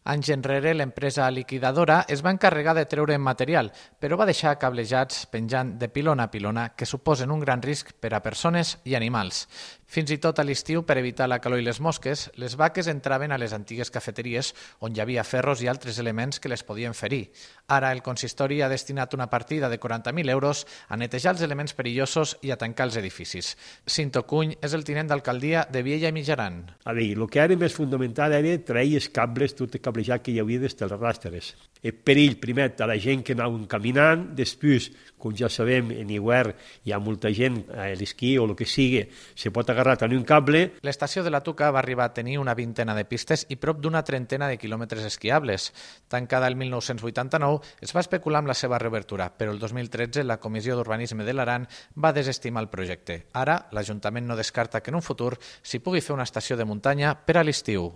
Anys enrere, l'empresa liquidadora es va encarregar de treure material, però va deixar cablejats penjant de pilona a pilona que suposen un gran risc per a persones i animals. Fins i tot a l'estiu, per evitar la calor i les mosques, les vaques entraven a les antigues cafeteries on hi havia ferros i altres elements que les podien ferir. Ara el consistori ha destinat una partida de 40.000 euros a netejar els elements perillosos i a tancar els edificis. Cinto Cuny és el tinent d'alcaldia de Viella i Mitjaran. A veure, el que era més fonamental era trair els cables, tot el cablejat que hi havia des dels rastres. El perill, primer, a la gent que anaven caminant, després, com ja sabem, en hivern hi ha molta gent a l'esquí o el que sigui, se pot agarrar a un cable. L'estació de la Tuca va arribar a tenir una vintena de pistes i prop d'una trentena de quilòmetres esquiables. Tancada el 1989, es va especular amb la seva reobertura, però el 2013 la Comissió d'Urbanisme de l'Aran va desestimar el projecte. Ara, l'Ajuntament no descarta que en un futur s'hi pugui fer una estació de muntanya per a l'estiu.